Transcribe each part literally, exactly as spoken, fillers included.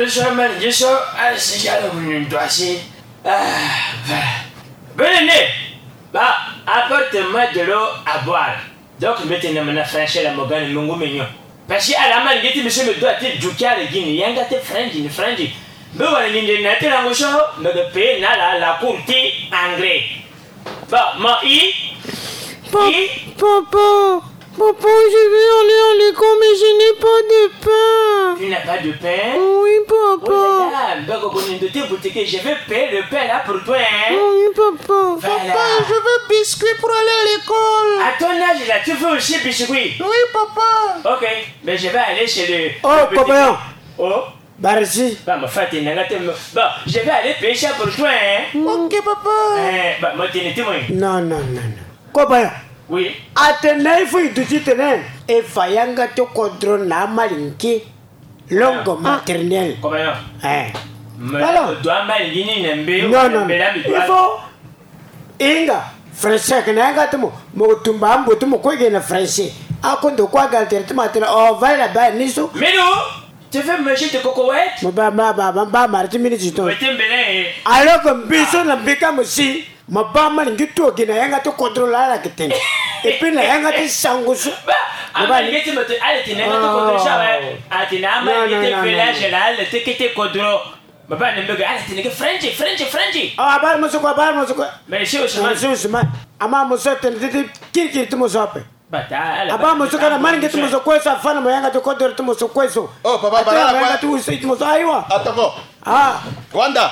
Seulement, je suis assis à la minute, assis. Ah, voilà. Venez, bah, apporte-moi de l'eau à boire. Donc, maintenant, maintenant, Français, la mogane, mungu mignon. Parce que à la main, il dit, monsieur, me doit te duquer à la guine, yanga te French, ni French. Mais voilà, ni na te langue so, mais le pays na la, la cour ti anglais. Bon, mon i, Pa- i, Papa, papa, je vais aller à l'école, mais je n'ai pas de pain. Tu n'as pas de pain? Oui, Oh papa. là là, mbako konindo te boutique, je vais payer le pain là pour toi, hein? Oui, papa. Voilà. Je veux biscuit pour aller à l'école. À ton âge là, tu veux aussi biscuit? Oui, papa. Ok, mais je vais aller chez le. Oh, le petit- copain. Oh, Barisi. bah, ma femme, t'es nanga te me- Bon, je vais aller payer ça pour toi, hein? Ok, papa. Eh, bah, moi, t'es neti, moi. Non, non, non, non. Copain. Oui. Atene il faut iduti tene. E fa yanga ti kodro na amalingi. Langue maternelle. Copain. Eh. Mais Voilà. tu dois mal, ni, ni, ni, Non, non. mais là, mais Il faut. Inga. Français, que na yanga ti mo. Mo tumba ambo ti mo ko ge na français. Akondo ko aga ti mo atene. Oh, va là-bas, ni so. Mais non, tu veux manger de cocoette? Mo ba, ba, ba, ba, ba, mara ti minutes to. Mais t'es mbélé. Alors que mbi so na mbi ka mo si, ma ba amalingi ti wa gi na yanga ti kodro la ala yeke tene. Et puis na yanga ti sango so. Bah, amalingi ti mo te, ala tene yanga ti kodro so, eh. Ala tene amalingi ti village la, ala te kete kodro. Ma ba na mbege, ala tene ke French, French, French. Ah, abara mo so kue, abara mo so kue. Mais si Ousmane. Mo so Ousmane. Ama mo so tene ti ti kirikiri ti mo so ape. Bata, ala Aba mo so kana malingi ti mo so kue so, afana mo yanga ti kodro ti mo so kue so. Oh, papa, Ati bala mo la yanga kue. ti usi ti mo so, aiwa. Atoko. Ah, Wanda.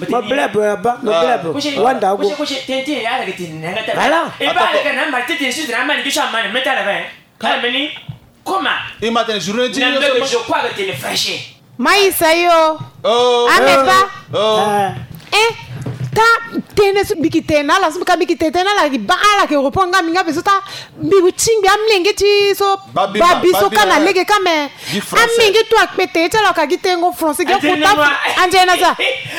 mo blebe, aba, mo blebe. Kushi, Wanda, kushi, go. Kushi, tenti, ala ke tene yanga ti. Voilà. E ba ala ke na mari tete, si na mari ke so amani, meta la ba. Kala meni. Koma. I ma tene journée ti Na yo mbege so. Je crois que t'es le fraîche. Maïssa yo. Oh. Ame pa. Oh. Ah. Eh, ta tene so mbi ke tene na ala so, ka mbi ke tene tene na ala, ba ala ke reprendre nga mbi nga be so ta mbi bu tingbi amlenge ti so. Babi, Babi so babi, ka na eh. Lege ka me. Gi français. Amlenge ti wa kpe tene ti ala ka gi tengo français, gi Anzene kuta. noir. Anzene na za.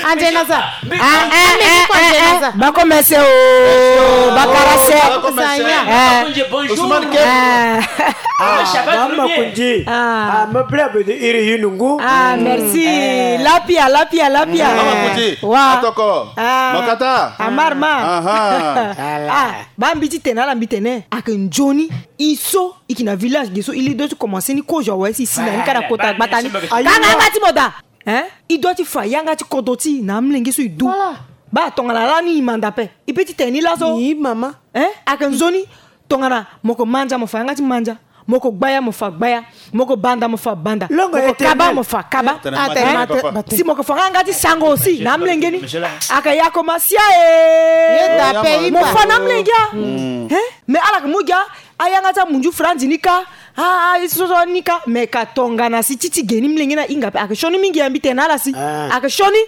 Anzene na za. Mbi- Ah, amlenge ti wa anzene na za. Ba commencé o. Ba karase. Ba commencé. Sanya. Eh. Bonjour, bonjour. Ousmane Eh. Kep. Ah, ça va, Ah, très ma bien. kundi. Ah. Ah, mo blebe de iri yinungu. Ah, merci. Lapia, lapia, lapia. Mama Kuti. Wa. Atoko. Ah. Makata. Amar ma. Aha. Ah, ba mbi ti tene na ala mbi tene. Ake nzoni. I so, i yeke na village ge so, i li doit ti commencer ni kozo awe si i si na ni ka na kota gbata ni. Ka nga yanga ti mo daa. Hein? I doit ti fa yanga ti kodro ti i na amlenge so i du. Ba tongana lani i manda ape. I pe ti tene ni laso. Ni mama. Hein? Ake nzoni. Tongana mo ko mandia mo fa yanga ti mandia. Mo ko gbaya mo fa gbaya. Mo ko banda mo fa banda. Mo ko kaba mo fa kaba. Hein? Si mo ko fa nga yanga ti sango aussi na amlenge ni. Ake ya ko ma sia e. Mo fa na amlenge a. Hein? Mais ala ke mu gi a. Ayanga ti amunzu franzi ni ka. Ah, ah, i so so ni ka. Mais ka tongana si ti ti ge ni mlenge ni ahinga ape, ake sioni mingi ya mbi tene na ala si. Ake sioni.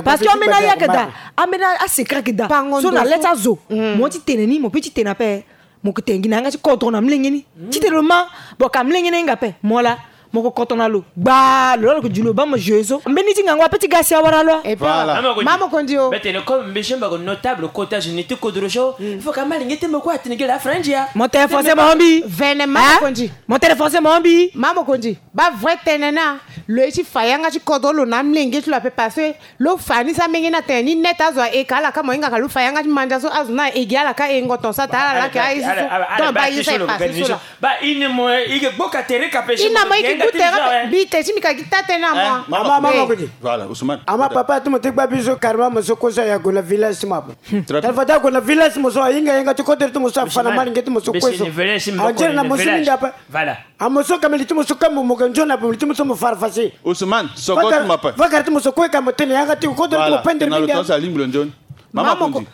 Parce que ambeni aye ake daa. Ambeni asecret ake daa. So na le ti azo. Mo ti tene ni, mo pe ti tene ape. Mo ke tene gi na yanga ti kodro na mlenge ni. Ti tene lo ma. Bon, ka mlenge ni ahinga ape. Mo laa. Mo ko koto na lo gbaa, lo laa lo ko di lo baa mo jeu so. Mbeni ti ngangu ape ti ga si awara lo. Voilà. Mama Kondi. Mama Kondi o. Mbe tene comme mbi so mbi ko notable kota zo ni ti kodro so. Il faut ka ma lingi ti mbi kue atene gi la French ya. Mo tene français mo mbi. Vene Mama Kondi. Mo tene français mo mbi. Mama Kondi. Ba vrai tene na. Lo ye ti fa yanga ti kodro lo na amlenge ti lo ape parce que lo fa ni so amenge ni atene ni net azo aye ka ala ka mo hinga ka lo fa yanga ti mandia so azo ni aye gi ala ka hengo ton so atene ala laa ake aye so so. Donc ba ye so aye fa so so la. Ba i ne mo i ke gboka tere kape. I na mo i ke gu tere kape. Mbi te ti mbi ka gi taa tënë na mo. Mama, mama Kondi. Voilà, Ousmane. Ama papa ti mo ti gba biso carrément mo so kue so aye ague na village ti mo ape. Très bien. Tala fade ague na village ti mo so ahinga yanga ti kodro ti mo so afa na malinge ti mo so kue so. Anzere na mo so mingi ape. Voilà. Amo so ka meli ti mo so ka mo mo ka nzoni ape meli ti mo so mo fara fasi. Ousmane, soko ti mo ape. Vakara ti mo so kue ka mo tene yanga ti kodro ti mo pendere mingi ape. Mama Kondi.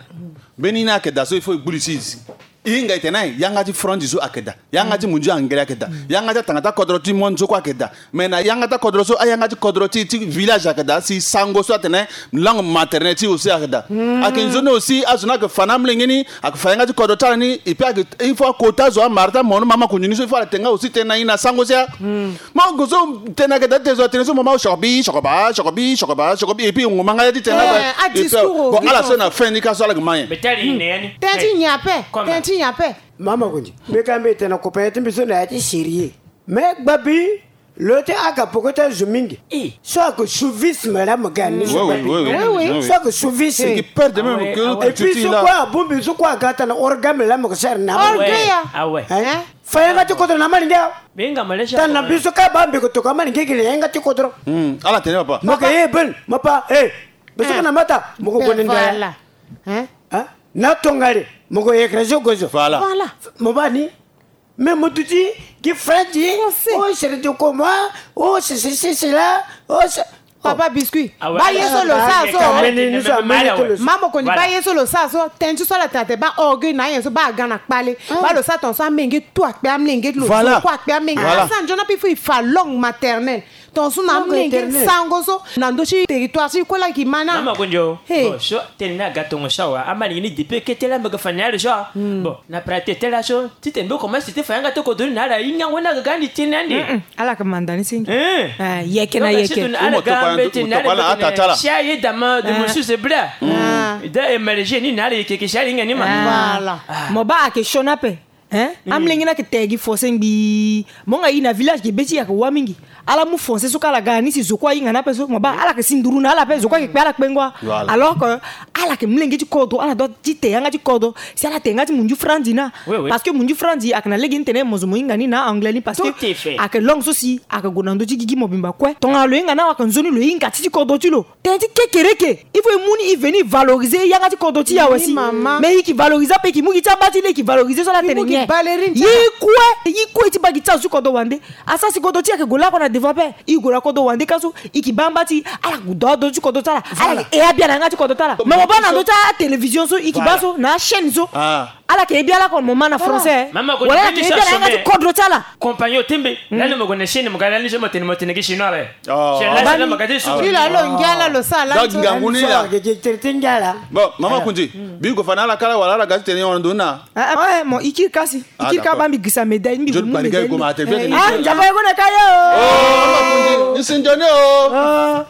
Mbeni ni ayeke daa so il faut e gbu li si. E hinga e tene na e yanga ti franzi so ayeke daa. Yanga ti munzu angele ayeke daa. Yanga ti atanga ti akodro ti monde so kue ayeke daa. Mais na yanga ti akodro so ayanga ti kodro ti ti village ayeke daa si sango so atene langue maternelle ti aussi ayeke daa. Ayeke nzoni aussi azo ni ayeke fa na amolenge ni ayeke fa yanga ti kodro ti ala ni. Et puis ayeke il faut akota azo amara ti amono mama konzi ni so il faut ala tene nga aussi tene na e na sango sia. Mo gue so tene ayeke daa ti tene so atene so mama o sokobi sokoba sokobi sokoba sokobi et puis e ngoma nga ya ti tene na. Bon ala so na fin ni ka so ala yeke ma nyen. Tënë ti nyen ape? Tënë ti nyen ape? Mama Kondi, mbi ka mbi tene na copain ti mbi so na ya ti sérieux. Mais gbabi Lo ti aga poko ti azo mingi. So ayeke chauvisme la mo ga ni. So ayeke chauvisme. Et puis so kue abongbi so kue aga tana organe la mo yeke sara na organe ya. Fa yanga ti kodro na amalinge awe. Tana na mbi so kâ baa mbi yeke tokua amalinge gi na yanga ti kodro. Ala tene papa. Mo yeke ye ben mo pa e. Mbi so kâ na mata mo yeke gue na ndaya. Na tongale mo yeke yeke rezo gozo. Mo baa ni. Mais mo duti gi French. Oh, c'est de comment? Oh, c'est ceci, c'est là. Oh, c'est... Papa Biscuit. Baa ye so lo sara so. Ma mo koni baa ye so lo sara so. Tënë ti so ala tene atene baa orgueil na ayen so baa aga na kpale. Baa lo sara tongaso amenge tout akpe amenge ti lo so kue akpe amenge. Ala sara nzoni ape il faut e fa langue maternelle. Tongaso na amenge sango so na ndö ti territoire ti kue la e yeke ma na. Mama Konjo. Bon so tënë ni aga tongaso awe. Amalinge ni depuis kete la mbi yeke fa na ala so. Bon na prate tënë la so. Titene mbi commence ti fa yanga ti kodro ni na ala hingango ni aga ga ande ti ni ande. Ala yeke manda ni si. Yeke na yeke. Ala ga mbeti na ala yeke na si aye dama de mosu zebra. Da emerge ni na ala yeke yeke si ala hinga ni ma. Voilà. Mo baa ayeke sioni ape. Amolenge ni ayeke te gi fossé ngbii. Mo nga e na village ge be ti e ayeke wâ mingi. Ala mu fossé so kue ala ga ni si zo kue ahinga ni ape so mo baa ala yeke si nduru na ala ape zo kue ayeke kpe ala kpengo. Alors que ala yeke molenge ti kodro ala doit ti te yanga ti kodro. Si ala te yanga ti munju franzi na. Parce que munju franzi ayeke na lege ni tene mo zo mo hinga ni na anglais ni parce que ayeke langue so si ayeke gue na ndö ti gigi mobimba kue. Tongana lo hinga ni awe ayeke nzoni lo hinga ti ti kodro ti lo. Tënë ti kekereke. Il faut e mu ni e veni e valoriser yanga ti kodro ti e awe si. Mais e yeke valoriser ape e yeke mu gi ti aba ti lê e yeke valoriser so ala tene nyen. Ye kue ye kue ti baa gi ti azo ti kodro wande. Asara si kodro ti e ayeke gue lakue na devant ape. E gue na kodro wande ka so e yeke baa amba ti ala gue dua azo ti kodro ti ala. Ala yeke e abia na yanga ti kodro ti ala. Mais mo baa na ndö ti atélévision so e yeke baa so na achaîne so. Ala yeke e bia lakue mo ma na français. Wala ala yeke e bia na yanga ti kodro ti ala. Compagnon tembe. Lani mo gue na chaîne mo ga lani so mo tene mo tene gi chinois awe. Ti la lo ngia la lo sara la. Ngangu ni la. Bon mama Kundi. Mbi gue fa na ala kala wala ala ga ti tene hon ndo na. Mo e kiri kasi e kiri ka baa mbi gisa médaille mbi gue mu médaille. Nzapa e gue na ka ye o. Nsi nzoni o.